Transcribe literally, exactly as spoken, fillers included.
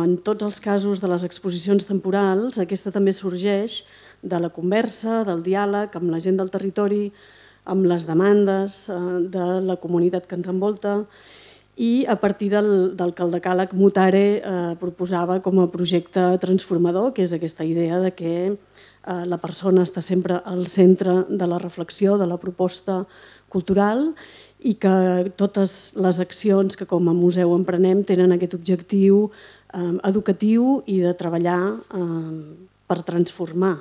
En tots els casos de les exposicions temporals, aquesta també sorgeix de la conversa, del diàleg amb la gent del territori, amb les demandes de la comunitat que ens envolta i a partir del, del que el decàleg Mutare eh, proposava com a projecte transformador, que és aquesta idea de que eh, la persona està sempre al centre de la reflexió, de la proposta cultural i que totes les accions que com a museu emprenem tenen aquest objectiu eh, educatiu i de treballar eh, per transformar